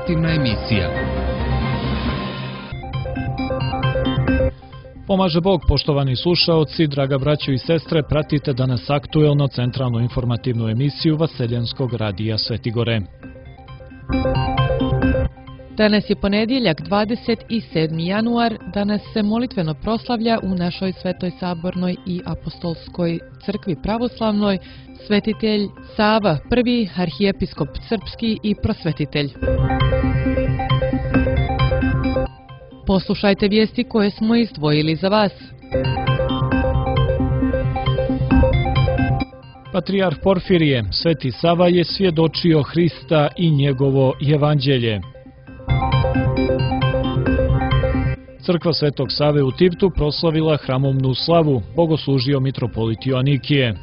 informativna emisija. Pomaže Bog, poštovani slušaoci, draga braćo i sestre, pratite danas aktuelno centralnu informativnu emisiju Vaseljenskog radija Svetigore. Danas je ponedjeljak, 27. januar. Danas se molitveno proslavlja u našoj Svetoj Sabornoj i Apostolskoj crkvi pravoslavnoj svetitelj Sava, prvi arhijepiskop srpski i prosvetitelj. Poslušajte vijesti koje smo izdvojili za vas. Patrijarh Porfirije, Sveti Sava je svjedočio Hrista i njegovo evanđelje. Crkva Svetog Save u Tivtu proslavila hramovnu slavu, bogoslužio mitropolit Joanikije.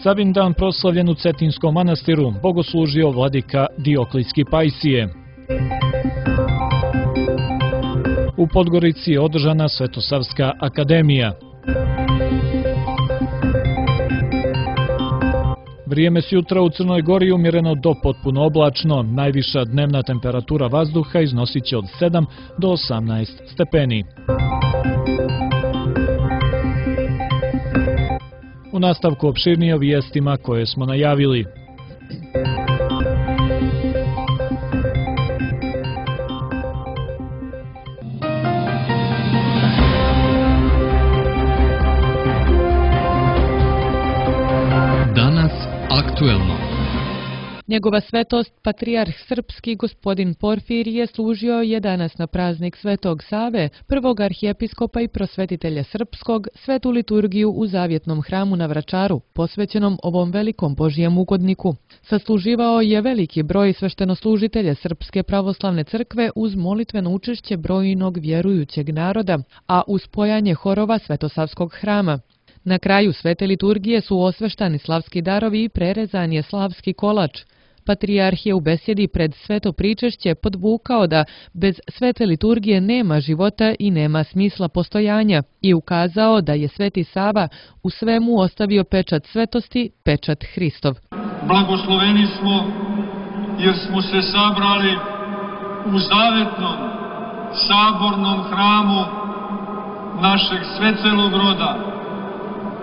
Savin dan proslavljen u Cetinskom manastiru, bogoslužio vladika Dioklijski Pajsije. U Podgorici je održana Svetosavska akademija. Vrijeme s jutra u Crnoj Gori umjereno do potpuno oblačno, najviša dnevna temperatura vazduha iznosit će od 7 do 18 stepeni. U nastavku opširnije o vijestima koje smo najavili. Danas aktuelno. Njegova svetost, patrijarh srpski gospodin Porfirije, služio je danas na praznik Svetog Save, prvog arhijepiskopa i prosvetitelja srpskog, svetu liturgiju u Zavjetnom hramu na Vračaru, posvećenom ovom velikom Božijem ugodniku. Sasluživao je veliki broj sveštenoslužitelja Srpske pravoslavne crkve uz molitveno učešće brojnog vjerujućeg naroda, a uz pojanje horova Svetosavskog hrama. Na kraju svete liturgije su osveštani slavski darovi i prerezan je slavski kolač. Patrijarh je u besjedi pred sveto pričešće podvukao da bez svete liturgije nema života i nema smisla postojanja i ukazao da je Sveti Sava u svemu ostavio pečat svetosti, pečat Hristov. Blagosloveni smo jer smo se sabrali u zavetnom sabornom hramu našeg svecelog roda,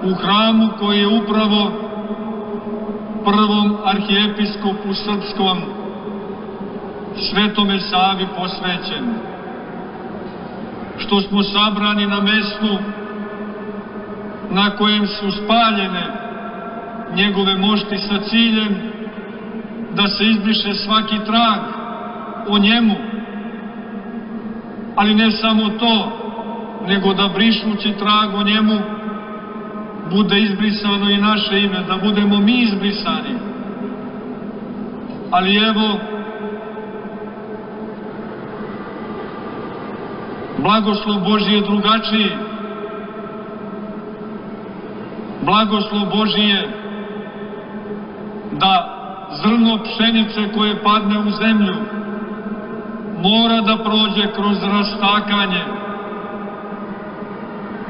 u hramu koji je upravo prvom arhijepiskopu srpskom, Svetome Savi, posvećen. Što smo sabrani na mestu na kojem su spaljene njegove mošti sa ciljem da se izbriše svaki trag o njemu, ali ne samo to, nego da brišući trag o njemu bude izbrisano i naše ime, da budemo mi izbrisani. Ali evo, blagoslov Božji je drugačiji. Blagoslov Božji je da zrno pšenice koje padne u zemlju mora da prođe kroz rastakanje,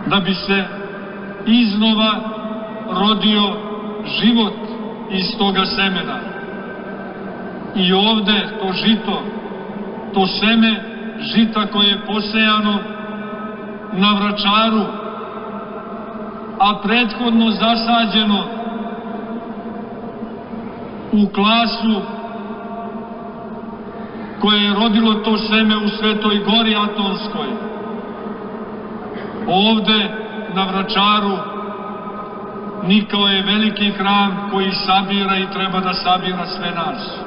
da bi se iznova rodio život iz toga semena. I ovde to žito, to seme žita koje je posejano na Vračaru, a prethodno zasađeno u klasu koje je rodilo to seme u Svetoj Gori Atonskoj. Ovde na Vračaru nikao je veliki hram koji sabira i treba da sabira sve nas.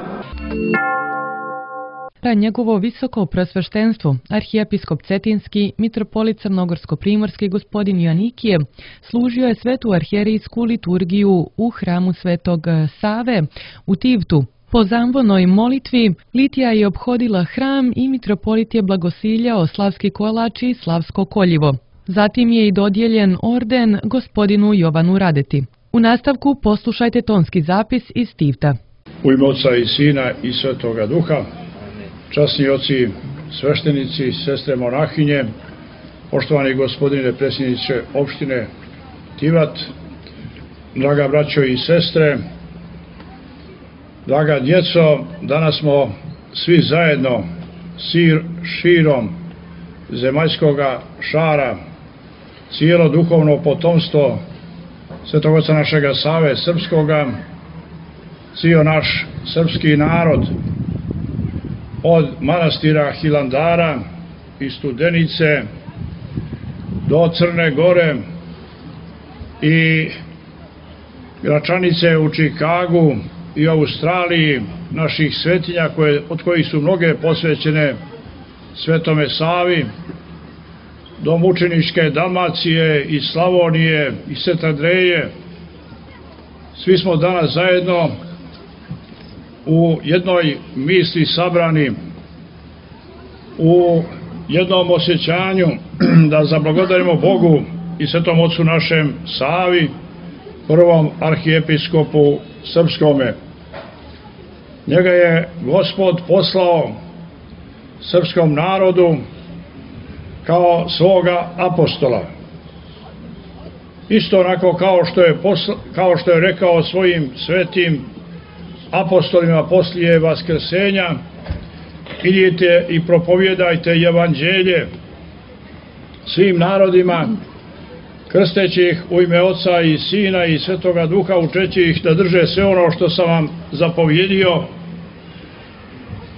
Njegovo visoko prosveštenstvo, arhijepiskop Cetinski, mitropolit Crnogorsko-primorski gospodin Joanikije, služio je svetu arhijerijsku liturgiju u hramu Svetog Save u Tivtu. Po zamvonoj molitvi litija je ophodila hram i mitropolit je blagosiljao slavski kolač i slavsko koljivo. Zatim je i dodijeljen orden gospodinu Jovanu Radeti. U nastavku poslušajte tonski zapis iz Tivta. U ime Oca i Sina i Svetoga Duha, časni oci, sveštenici, sestre monahinje, poštovani gospodine predsjedniče opštine Tivat, draga braćo i sestre, Draga djeco, danas smo svi zajedno širom zemaljskoga šara, cijelo duhovno potomstvo Svetog Oca našega Save Srpskoga, cijel naš srpski narod, od manastira Hilandara i Studenice do Crne Gore i Gračanice u Čikagu i Australiji, naših svetinja od kojih su mnoge posvećene Svetome Savi, do mučeničke Dalmacije i Slavonije i Svetadreje. Svi smo danas zajedno u jednoj misli sabrani, u jednom osjećanju da zablagodarimo Bogu i Svetom Ocu našem Savi, prvom arhijepiskopu srpskome. Njega je Gospod poslao srpskom narodu kao svoga apostola. Isto onako kao što je rekao svojim svetim apostolima poslije vaskrsenja: idite i propovjedajte evanđelje svim narodima, krsteći ih u ime Oca i Sina i Svetoga Duha, učeći ih da drže sve ono što sam vam zapovjedio.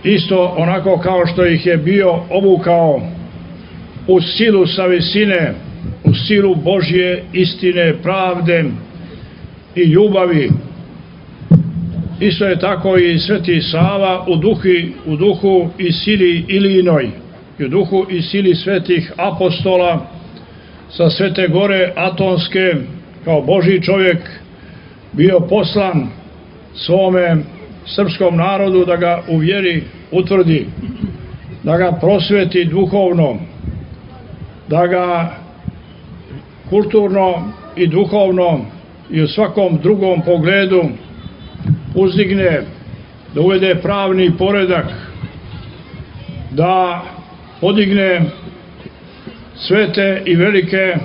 Isto onako kao što ih je bio obukao u silu sa visine, u silu Božje istine, pravde i ljubavi. Isto je tako i Sveti Sava u duhu i sili Ilinoj, i u duhu i sili svetih apostola sa Svete Gore Atonske, kao Božji čovjek, bio poslan svome srpskom narodu da ga u vjeri utvrdi, da ga prosveti duhovno, da ga kulturno i duhovno i u svakom drugom pogledu uzdigne, da uvede pravni poredak, da podigne svete i velike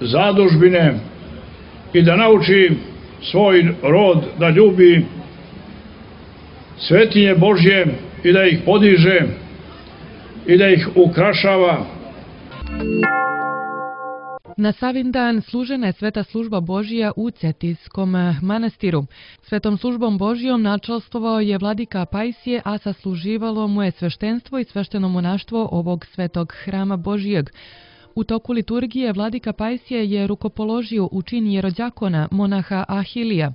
zadužbine i da nauči svoj rod da ljubi svetinje Božje i da ih podiže i da ih ukrašava. Na Savin dan služena je sveta služba Božija u Cetiskom manastiru. Svetom službom Božijom načelstvovao je vladika Pajsije, a sasluživalo mu je sveštenstvo i svešteno monaštvo ovog svetog hrama Božijeg. U toku liturgije vladika Pajsije je rukopoložio u čin jerodjakona monaha Ahilija.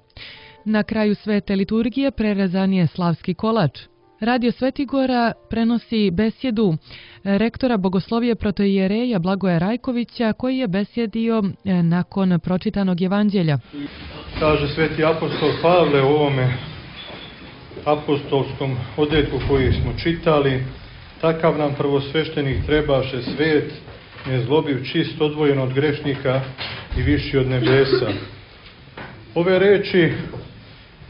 Na kraju svete liturgije prerezan je slavski kolač. Radio Svetigora prenosi besjedu rektora bogoslovije protoijereja Blagoja Rajkovića, koji je besjedio nakon pročitanog evanđelja. Kaže sveti apostol Pavle u ovome apostolskom odjetku koji smo čitali: takav nam prvosveštenik trebaše, svet, nezlobiv, čist, odvojen od grešnika i viši od nebesa. Ove reči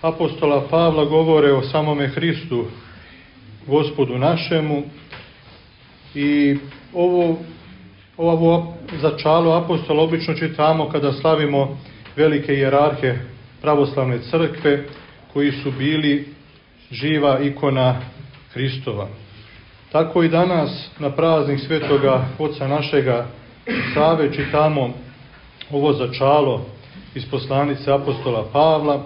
apostola Pavla govore o samome Hristu, Gospodu našemu, i ovo začalo apostola obično čitamo kada slavimo velike hijerarhe pravoslavne crkve koji su bili živa ikona Hristova. Tako i danas na praznik Svetoga Oca našega Save čitamo ovo začalo iz poslanice apostola Pavla.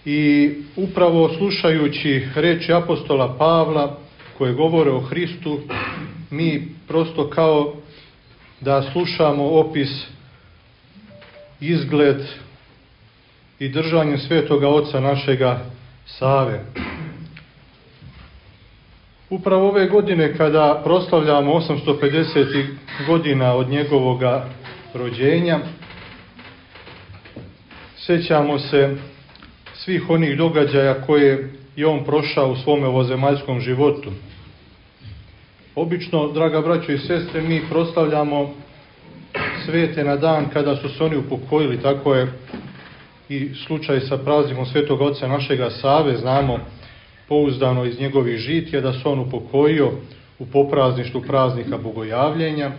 I upravo slušajući reči apostola Pavla koje govore o Hristu, mi prosto kao da slušamo opis, izgled i držanje Svetoga Oca našega Save. Upravo ove godine kada proslavljamo 850 godina od njegovoga rođenja, sjećamo se svih onih događaja koje je on prošao u svome ovozemaljskom životu. Obično, draga braćo i sestre, mi proslavljamo svete na dan kada su se oni upokojili. Tako je i slučaj sa praznikom Svetog Oca našega Save. Znamo pouzdano iz njegovih žitija da se on upokojio u poprazništvu praznika Bogojavljenja.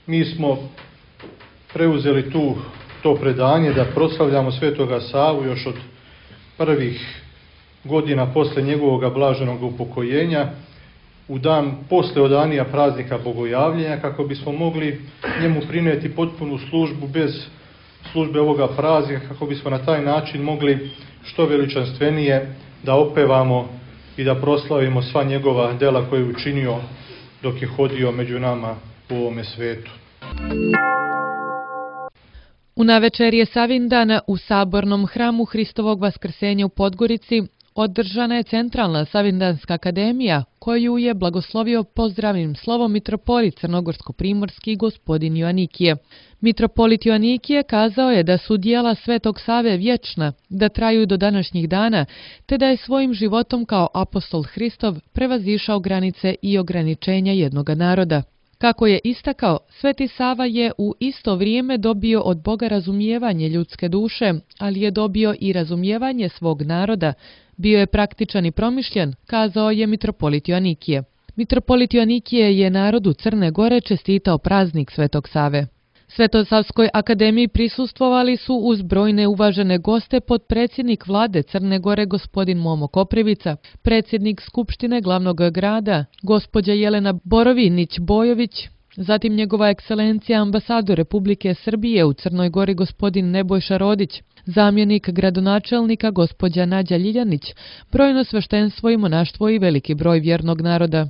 Mi smo preuzeli to predanje da proslavljamo Svetoga Savu još od prvih godina posle njegovog blaženog upokojenja, u dan posle odanija praznika Bogojavljenja, kako bismo mogli njemu prinijeti potpunu službu bez službe ovoga praznika, kako bismo na taj način mogli što veličanstvenije da opevamo i da proslavimo sva njegova dela koje je učinio dok je hodio među nama u ovome svetu. U navečerje Savindana u Sabornom hramu Hristovog vaskrsenja u Podgorici održana je Centralna Savindanska akademija, koju je blagoslovio pozdravnim slovom mitropolit crnogorsko-primorski gospodin Joanikije. Mitropolit Joanikije kazao je da su dijela Svetog Save vječna, da traju do današnjih dana, te da je svojim životom kao apostol Hristov prevazišao granice i ograničenja jednoga naroda. Kako je istakao, Sveti Sava je u isto vrijeme dobio od Boga razumijevanje ljudske duše, ali je dobio i razumijevanje svog naroda. Bio je praktičan i promišljen, kazao je mitropolit Joanikije. Mitropolit Joanikije je narodu Crne Gore čestitao praznik Svetog Save. Svetosavskoj akademiji prisustvovali su uz brojne uvažene goste potpredsjednik vlade Crne Gore gospodin Momo Koprivica, predsjednik Skupštine glavnog grada gospođa Jelena Borovinić-Bojović, zatim njegova ekscelencija ambasador Republike Srbije u Crnoj Gori gospodin Nebojša Rodić, zamjenik gradonačelnika gospođa Nađa Ljiljanić, brojno sveštenstvo i monaštvo i veliki broj vjernog naroda.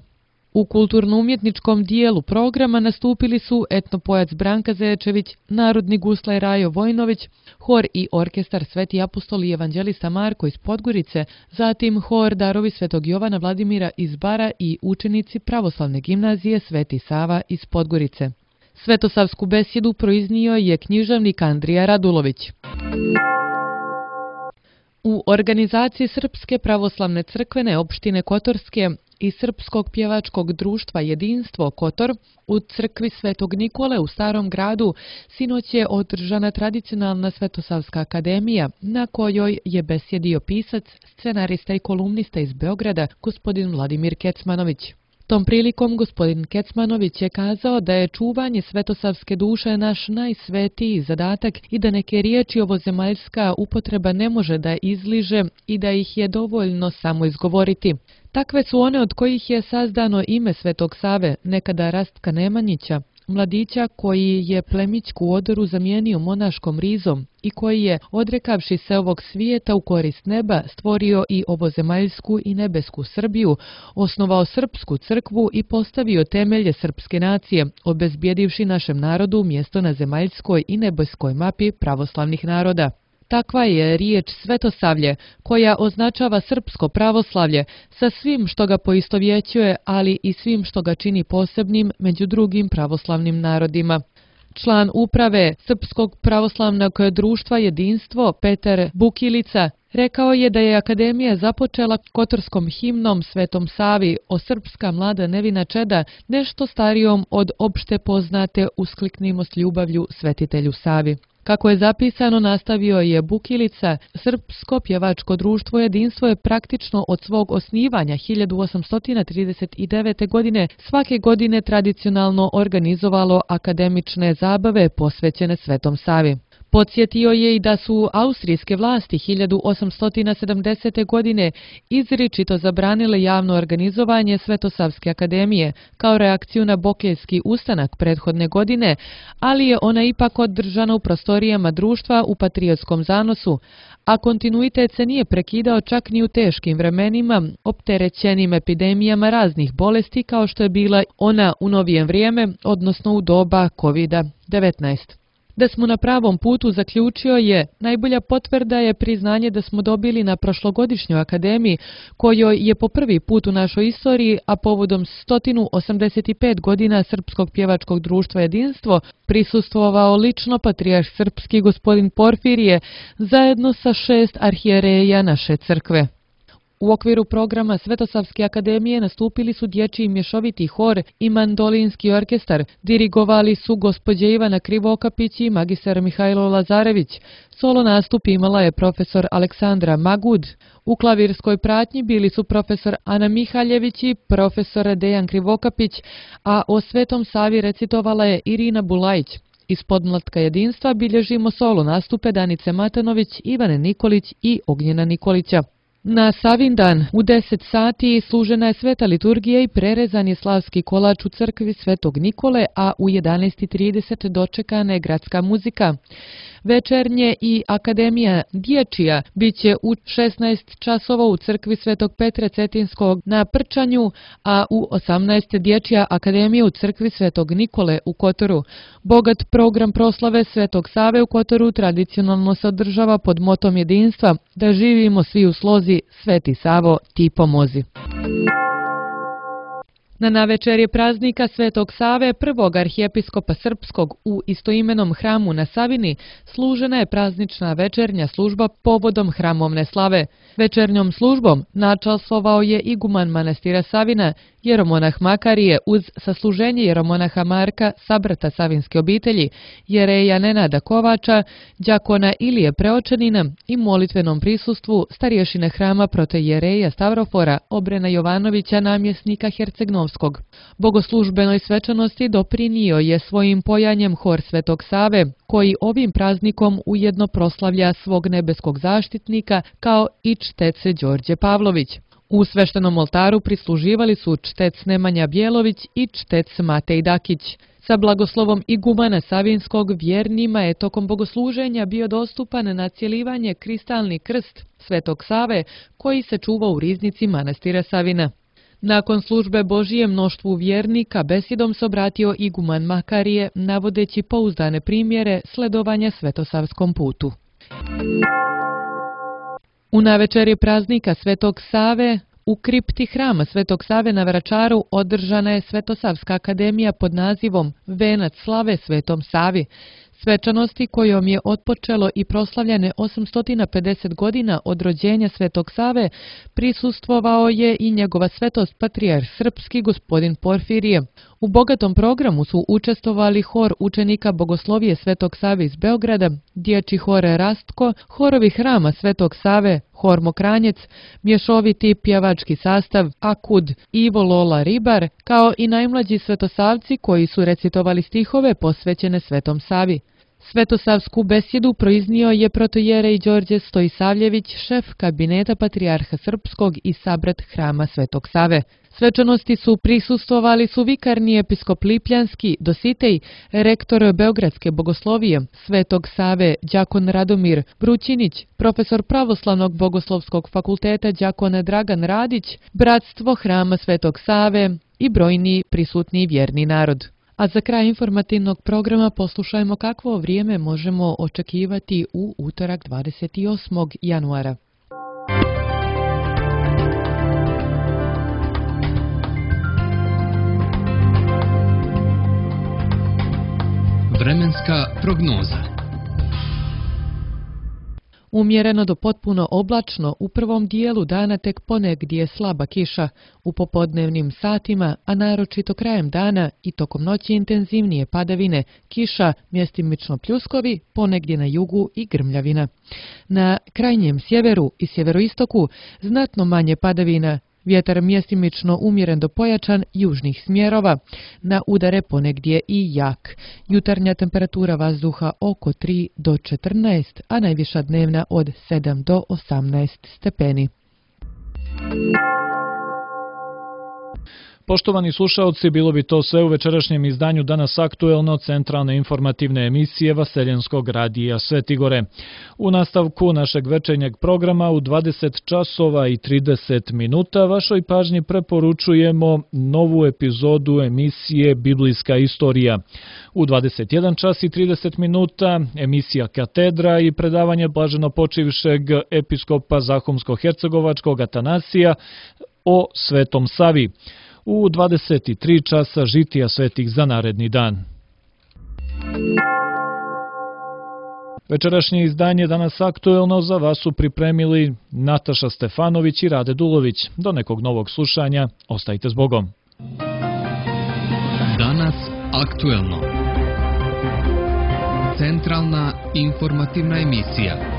U kulturno-umjetničkom dijelu programa nastupili su etnopojac Branka Zečević, narodni guslaj Rajo Vojnović, hor i orkestar Sveti apostol i evanđelista Marko iz Podgorice, zatim hor Darovi Svetog Jovana Vladimira iz Bara i učenici Pravoslavne gimnazije Sveti Sava iz Podgorice. Svetosavsku besjedu proiznio je književnik Andrija Radulović. U organizaciji Srpske pravoslavne crkvene opštine Kotorske i Srpskog pjevačkog društva Jedinstvo Kotor u crkvi Svetog Nikole u Starom gradu sinoć je održana tradicionalna Svetosavska akademija na kojoj je besjedio pisac, scenarista i kolumnista iz Beograda gospodin Vladimir Kecmanović. Tom prilikom gospodin Kecmanović je kazao da je čuvanje svetosavske duše naš najsvetiji zadatak i da neke riječi ovozemaljska upotreba ne može da izliže i da ih je dovoljno samo izgovoriti. Takve su one od kojih je sazdano ime Svetog Save, nekada Rastka Nemanjića, mladića koji je plemićku odoru zamijenio monaškom rizom i koji je, odrekavši se ovog svijeta u korist neba, stvorio i ovozemaljsku i nebesku Srbiju, osnovao srpsku crkvu i postavio temelje srpske nacije, obezbjedivši našem narodu mjesto na zemaljskoj i nebeskoj mapi pravoslavnih naroda. Takva je riječ Svetosavlje, koja označava srpsko pravoslavlje sa svim što ga poistovjećuje, ali i svim što ga čini posebnim među drugim pravoslavnim narodima. Član uprave Srpskog pravoslavnog društva Jedinstvo Petar Bukilica rekao je da je akademija započela kotorskom himnom Svetom Savi o srpska mlada nevina čeda, nešto starijom od opšte poznate uskliknimo s ljubavlju svetitelju Savi. Kako je zapisano, nastavio je Bukilica, Srpsko pjevačko društvo Jedinstvo je praktično od svog osnivanja 1839. godine svake godine tradicionalno organizovalo akademične zabave posvećene Svetom Savi. Podsjetio je i da su austrijske vlasti 1870. godine izričito zabranile javno organizovanje Svetosavske akademije kao reakciju na Bokeljski ustanak prethodne godine, ali je ona ipak održana u prostorijama društva u patriotskom zanosu, a kontinuitet se nije prekidao čak ni u teškim vremenima, opterećenim epidemijama raznih bolesti kao što je bila ona u novije vrijeme, odnosno u doba COVID-19. Da smo na pravom putu, zaključio je, najbolja potvrda je priznanje da smo dobili na prošlogodišnjoj akademiji, kojoj je po prvi put u našoj istoriji, a povodom 185 godina Srpskog pjevačkog društva Jedinstvo, prisustvovao lično patrijarh srpski gospodin Porfirije, zajedno sa 6 arhijereja naše crkve. U okviru programa Svetosavske akademije nastupili su dječji mješoviti hor i mandolinski orkestar, dirigovali su gospođe Ivana Krivokapić i magistar Mihajlo Lazarević. Solo nastup imala je profesor Aleksandra Magud. U klavirskoj pratnji bili su profesor Ana Mihaljević i profesor Dejan Krivokapić, a o Svetom Savi recitovala je Irina Bulajić. Iz podmlatka jedinstva bilježimo solo nastupe Danice Matanović, Ivane Nikolić i Ognjena Nikolića. Na Savindan u 10 sati služena je sveta liturgija i prerezan je slavski kolač u crkvi Svetog Nikole, a u 11:30 dočekana je gradska muzika. Večernje i Akademija dječja biće u 16 časova u crkvi Svetog Petra Cetinskog na Prčanju, a u 18 dječja akademija u crkvi Svetog Nikole u Kotoru. Bogat program proslave Svetog Save u Kotoru tradicionalno se održava pod motom jedinstva da živimo svi u slozi, Sveti Savo, ti pomozi. Na navečerje praznika Svetog Save, prvog arhijepiskopa srpskog u istoimenom hramu na Savini, služena je praznična večernja služba povodom hramovne slave. Večernjom službom načastvovao je iguman manastira Savina, jeromonah Makarije, uz sasluženje jeromonaha Marka, sabrata savinske obitelji, jereja Nenada Kovača, đakona Ilije Preočanina i molitvenom prisustvu starješine hrama protojereja Stavrofora, Obrena Jovanovića, namjesnika Hercegnovskog. Bogoslužbenoj svečanosti doprinio je svojim pojanjem hor Svetog Save, koji ovim praznikom ujedno proslavlja svog nebeskog zaštitnika kao i čtec Đorđe Pavlović. U sveštenom oltaru prisluživali su čtec Nemanja Bjelović i čtec Matej Dakić. Sa blagoslovom igumana Savinskog vjernima je tokom bogosluženja bio dostupan na cjelivanje kristalni krst Svetog Save koji se čuva u riznici manastira Savina. Nakon službe Božije mnoštvu vjernika besedom se obratio iguman Makarije, navodeći pouzdane primjere sledovanja svetosavskom putu. U navečerje praznika Svetog Save u kripti hrama Svetog Save na Vračaru održana je Svetosavska akademija pod nazivom Venac slave Svetom Savi. Svečanosti kojom je otpočelo i proslavljane 850 godina od rođenja Svetog Save prisustvovao je i njegova svetost patrijarh srpski gospodin Porfirije. U bogatom programu su učestvovali hor učenika Bogoslovije Svetog Save iz Beograda, dječji hor Rastko, horovi hrama Svetog Save, hor Mokranjec, mješoviti pjevački sastav Akud, Ivo Lola Ribar, kao i najmlađi svetosavci koji su recitovali stihove posvećene Svetom Savi. Svetosavsku besjedu proiznio je protojerej Đorđe Stojisavljević, šef kabineta patrijarha srpskog i sabrat hrama Svetog Save. Svečanosti su prisustvovali su vikarni episkop Lipljanski, Dositej, rektor Beogradske bogoslovije, Svetog Save, đakon Radomir Brućinić, profesor Pravoslavnog bogoslovskog fakulteta đakon Dragan Radić, bratstvo hrama Svetog Save i brojni prisutni vjerni narod. A za kraj informativnog programa poslušajmo kakvo vrijeme možemo očekivati u utorak 28. januara. Vremenska prognoza. Umjereno do potpuno oblačno, u prvom dijelu dana tek ponegdje slaba kiša, u popodnevnim satima, a naročito krajem dana i tokom noći intenzivnije padavine, kiša, mjestimično pljuskovi, ponegdje na jugu i grmljavina. Na krajnjem sjeveru i sjeveroistoku znatno manje padavina, vjetar mjestimično umjeren do pojačan južnih smjerova, na udare ponegdje i jak. Jutarnja temperatura vazduha oko 3 do 14, a najviša dnevna od 7 do 18 stepeni. Poštovani slušaoci, bilo bi to sve u večerašnjem izdanju Danas aktuelno centralne informativne emisije Vaseljenskog radija Svetigore. U nastavku našeg večernjeg programa u 20 časova i 30 minuta vašoj pažnji preporučujemo novu epizodu emisije Biblijska istorija. U 21 čas i 30 minuta emisija Katedra i predavanje blaženopočivšeg episkopa Zahumsko-hercegovačkog Atanasija o Svetom Savi. U 23 časa žitija svetih za naredni dan. Večerašnje izdanje Danas aktuelno za vas su pripremili Nataša Stefanović i Rade Dulović. Do nekog novog slušanja, ostajte s Bogom. Danas aktuelno. Centralna informativna emisija.